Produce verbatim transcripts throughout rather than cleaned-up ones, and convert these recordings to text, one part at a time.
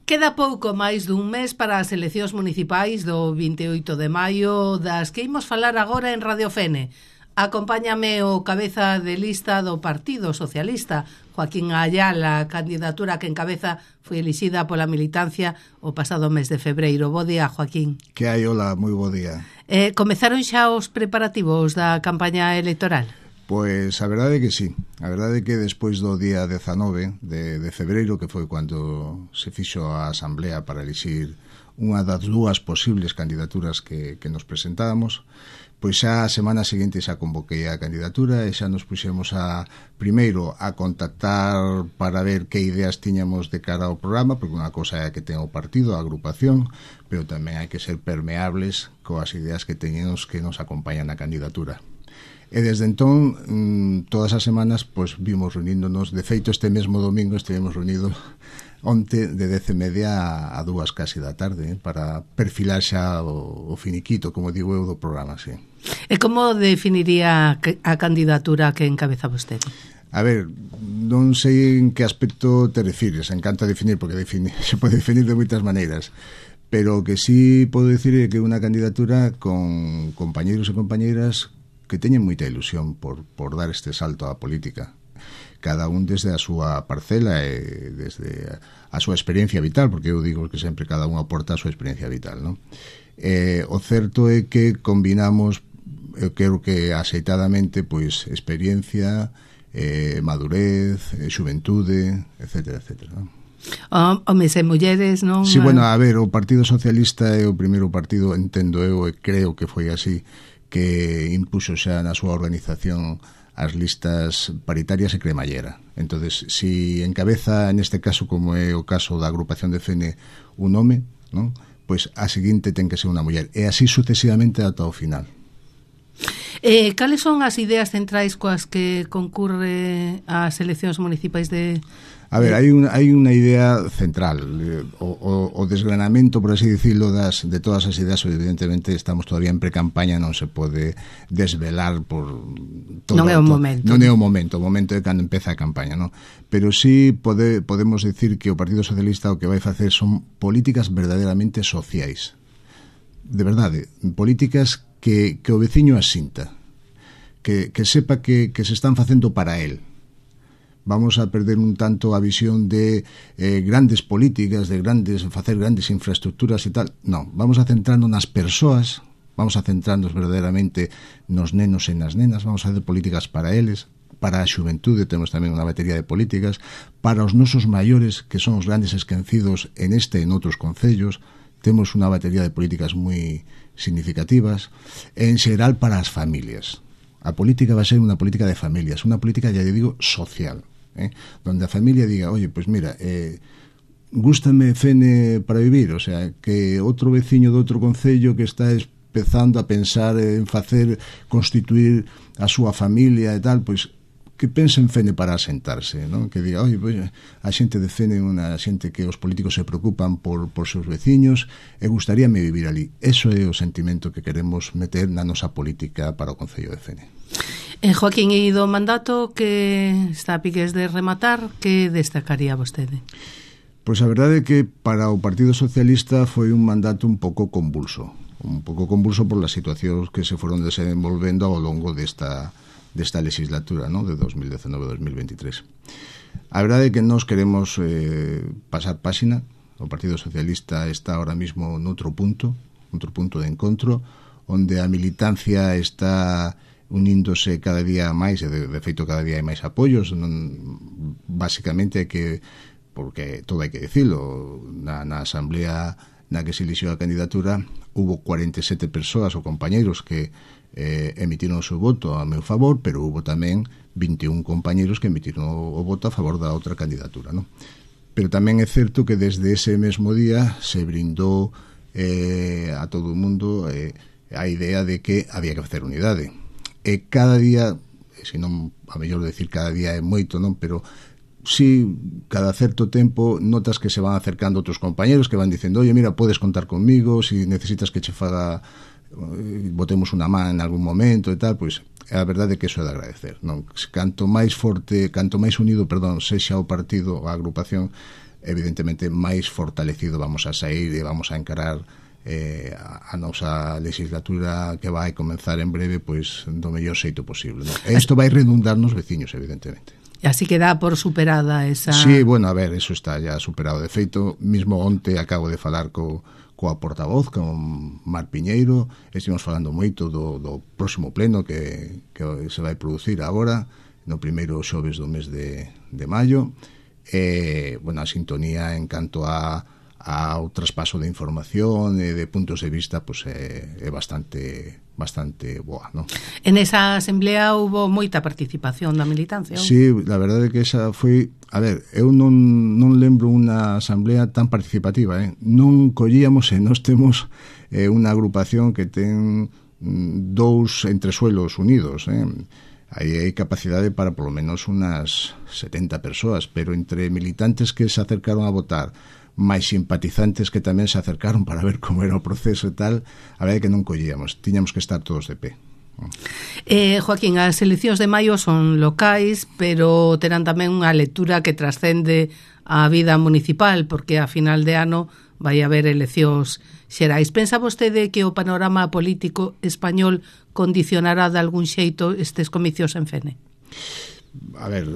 Queda pouco máis dun mes para as eleccións municipais do vinte e oito de maio, das que imos falar agora en Radio Fene. Acompáñame o cabeza de lista do Partido Socialista, Joaquín Ayala, a candidatura que encabeza foi elixida pola militancia o pasado mes de febreiro. Bo día, Joaquín. Que hai, hola, moi bo día. Eh, comezaron xa os preparativos da campaña electoral? Pois a verdade é que sí. A verdade é que despois do día dezanove de, de febreiro, que foi cando se fixo a asamblea para elixir unha das dúas posibles candidaturas que, que nos presentábamos, pois xa a semana seguinte xa convoquei a candidatura e xa nos puxemos a, primeiro, a contactar para ver que ideas tiñamos de cara ao programa, porque unha cosa é que ten o partido, a agrupación, pero tamén hai que ser permeables coas ideas que teñemos que nos acompañan na candidatura. E desde entón, todas as semanas, pois vimos reuníndonos. De feito, este mesmo domingo estivemos reunidos onte de dez e media a dúas casi da tarde, eh, para perfilar xa o, o finiquito, como digo eu, do programa, sí. E como definiría a candidatura que encabeza vostede? A ver, non sei en que aspecto te refires, encanta definir, porque define, se pode definir de moitas maneiras, pero o que sí podo dicir é que unha candidatura con compañeiros e compañeiras que teñen moita ilusión por, por dar este salto á política, cada un desde a súa parcela e desde a súa experiencia vital, porque eu digo que sempre cada un aporta a súa experiencia vital, non? Eh, o certo é que combinamos, eu creo que axeitadamente, pois experiencia, eh, madurez, eh, xuventude, etcétera, etcétera, non? Homes e mulleres, non? Sí, bueno, a ver, o Partido Socialista é o primeiro partido, entendo eu, e creo que foi así, que impuxo xa na súa organización as listas paritarias e cremallera. Entonces, si encabeza neste caso, como é o caso da agrupación de Fene, un home, non? Pois a seguinte ten que ser unha muller, e así sucesivamente ata o final. Eh, cales son as ideas centrais coas que concurre ás eleccións municipais de... A ver, hai unha, hai unha idea central, o, o, o desgranamento, por así dicirlo, das, de todas as ideas. Evidentemente estamos todavía en pre-campaña, non se pode desvelar por todo, non é o momento. Non é o momento, o momento é cando empeza a campaña, non? Pero sí pode, podemos decir que o Partido Socialista o que vai facer son políticas verdadeiramente sociais. De verdade, políticas que, que o veciño asinta, que, que sepa que, que se están facendo para él. Vamos a perder un tanto a visión de eh, grandes políticas, de grandes facer grandes infraestructuras e tal. Non, vamos a centrarnos nas persoas, vamos a centrarnos verdadeiramente nos nenos e nas nenas, vamos a facer políticas para eles, para a xuventude temos tamén unha batería de políticas, para os nosos maiores, que son os grandes esquecidos en este e en outros concellos, temos unha batería de políticas moi significativas, e en xeral para as familias. A política vai ser unha política de familias, unha política, ya digo, social. Eh, donde a familia diga, oye, pues mira, eh, gústame Fene para vivir, o sea, que outro veciño de outro concello que está empezando a pensar en facer, constituir a súa familia e tal, pois que pense en Fene para asentarse, ¿no? Que diga, oye, pues, a xente de Fene é unha xente que os políticos se preocupan por, por seus veciños e gustaríame vivir ali. Eso é o sentimento que queremos meter na nosa política para o concello de Fene. En Joaquín, e do mandato que está a piques de rematar, que destacaría vostede? Pois a verdade é que para o Partido Socialista foi un mandato un pouco convulso, un pouco convulso por las situacións que se foron desenvolvendo ao longo desta, desta legislatura, ¿no? De dos mil dezenove a dos mil veintitrés. A verdade é que nós queremos eh, pasar páxina. O Partido Socialista está ahora mismo noutro punto, outro punto de encontro, onde a militancia está uníndose cada día máis, e de, de feito cada día hai máis apoios, non, basicamente é que, porque todo hai que dicilo, na, na asamblea na que se elixiu a candidatura hubo cuarenta e sete persoas ou compañeiros que eh, emitiron o seu voto a meu favor, pero hubo tamén vinte e un compañeiros que emitiron o, o voto a favor da outra candidatura, non? Pero tamén é certo que desde ese mesmo día se brindou eh, a todo o mundo eh, a idea de que había que facer unidade. E cada día, se non a mellor decir cada día é moito, non, pero si cada certo tempo notas que se van acercando outros compañeros que van dicendo, oye, mira, podes contar conmigo, si necesitas que che faga, botemos unha man en algún momento e tal, pois a verdade é que iso é de agradecer, non? Canto máis forte, canto máis unido, perdón, sexa o partido, a agrupación, evidentemente máis fortalecido vamos a sair e vamos a encarar eh, a, a nosa legislatura que vai comenzar en breve pois do mellor xeito posible, ¿no? E isto vai redundar nos veciños, evidentemente. Así que dá por superada esa... Sí, bueno, a ver, eso está ya superado. De feito, mismo onte acabo de falar co, coa portavoz, con Mar Piñeiro, estivemos falando moito do, do próximo pleno que, que se vai producir agora, no primeiro xoves do mes de, de maio, e, bueno, a sintonía en canto a ao traspaso de información e de puntos de vista pues, é, é bastante bastante boa, ¿no? En esa asamblea hubo moita participación da militancia. Sí, la verdade é que esa foi, a ver, eu non, non lembro unha asamblea tan participativa, eh? Non collíamos e nós temos eh, unha agrupación que ten dous entresuelos unidos, eh? Aí hai capacidade para polo menos unas setenta persoas, pero entre militantes que se acercaron a votar, máis simpatizantes que tamén se acercaron para ver como era o proceso e tal, a verdade é que non collíamos, tiñamos que estar todos de pé. Eh, Joaquín, as eleccións de maio son locais, pero terán tamén unha lectura que trascende a vida municipal, porque a final de ano vai haber eleccións xerais. Pensa vostede que o panorama político español condicionará de algún xeito estes comicios en Fene? A ver,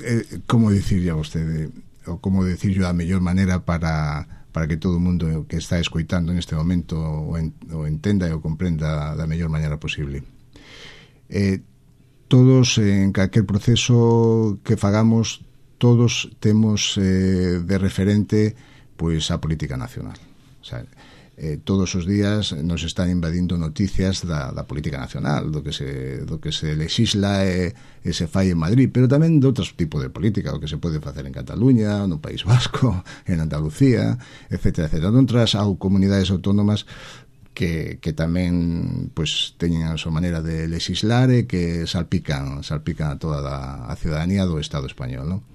eh, como dicirlle a vostede, ou como dicirlo a mellor maneira para, para que todo o mundo que está escoitando neste momento o, en, o entenda e o comprenda da mellor maneira posible. Eh, todos, en calquer proceso que fagamos, todos temos eh, de referente pois a política nacional. O sea, eh, todos os días nos están invadindo noticias da, da política nacional, do que se, do que se legisla e, e se fai en Madrid, pero tamén de outros tipos de política, o que se pode facer en Cataluña, no País Vasco, en Andalucía, etcétera, etcétera. Noutras comunidades autónomas que, que tamén pues, teñen a súa maneira de legislar e que salpican, salpican a toda a, a ciudadanía do Estado español, ¿no?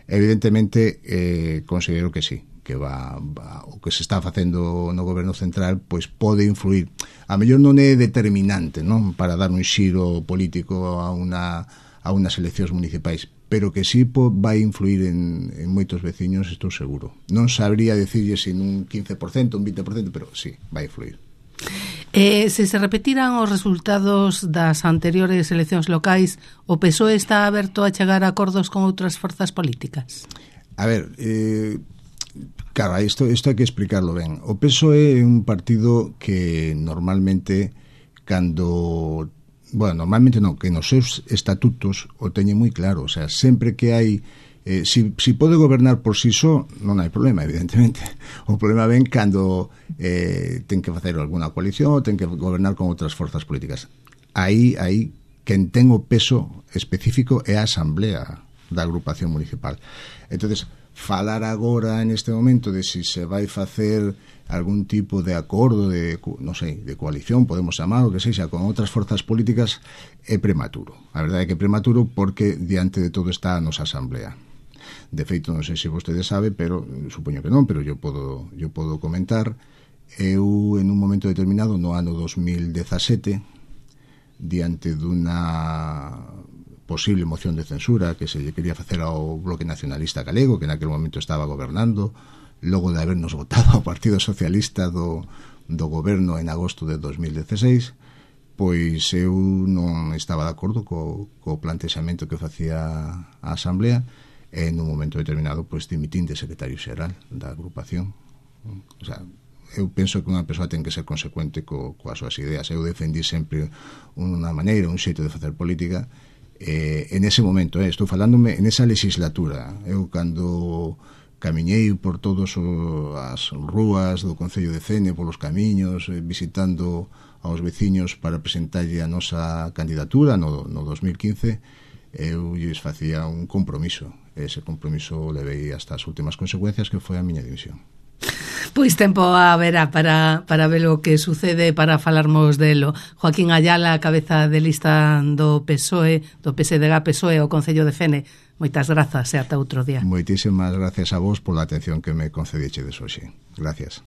Evidentemente, eh, considero que sí, que va, va o que se está facendo no goberno central pois pode influir, a mellor non é determinante, non, para dar un xiro político a unha a unas eleccións municipais, pero que sí po, vai influir en, en moitos veciños, estou seguro. Non sabría decirlle se un quince por cento, un vinte por cento, pero sí, vai influir. Eh, se se repetiran os resultados das anteriores eleccións locais, o P S O E está aberto a chegar a acordos con outras forzas políticas? A ver, eh, claro, isto, isto hai que explicarlo ben. O P S O E é un partido que normalmente cando, bueno, normalmente non, que nos seus estatutos o teñe moi claro, o sea, sempre que hai eh, si, si pode gobernar por si só, non hai problema, evidentemente. O problema ven cando eh, ten que facer alguna coalición, ten que gobernar con outras forzas políticas. Aí, aí, quen ten o peso específico é a Asamblea da agrupación municipal. Entonces, falar agora neste momento de si se vai facer algún tipo de acordo de, non sei, de coalición, podemos chamar o que sexa, con outras forzas políticas, é prematuro. A verdade é que é prematuro porque diante de todo está a nosa Asamblea. De feito, non sei se vostede sabe, pero supoño que non, pero yo podo, yo podo comentar. Eu, en un momento determinado, no ano dos mil dezasete, diante dunha posible moción de censura que se lle quería facer ao Bloque Nacionalista Galego, que naquele momento estaba gobernando, logo de habernos votado ao Partido Socialista do, do goberno en agosto de dos mil dieciséis, pois eu non estaba de acordo co, co plantexamento que facía a Asamblea, e en un momento determinado pois dimitín de secretario xeral da agrupación. O sea, eu penso que unha persoa ten que ser consecuente co, coas súas ideas. Eu defendí sempre unha maneira, un xeito de facer política. Eh, en ese momento, eh, estou falándome en esa legislatura. Eu cando camiñei por todas as rúas do Concello de Fene, polos camiños, eh, visitando aos veciños para presentarlle a nosa candidatura no, no dos mil quince, eu lles facía un compromiso. Ese compromiso levei hasta as últimas consecuencias, que foi a miña dimisión. Pois tempo haberá para, para ver o que sucede, para falarmos delo. Joaquín Ayala, cabeza de lista do P S O E, do P S D G P S O E, o Concello de Fene. Moitas grazas e ata outro día. Moitísimas gracias a vos pola atención que me concedichedes hoxe. Gracias.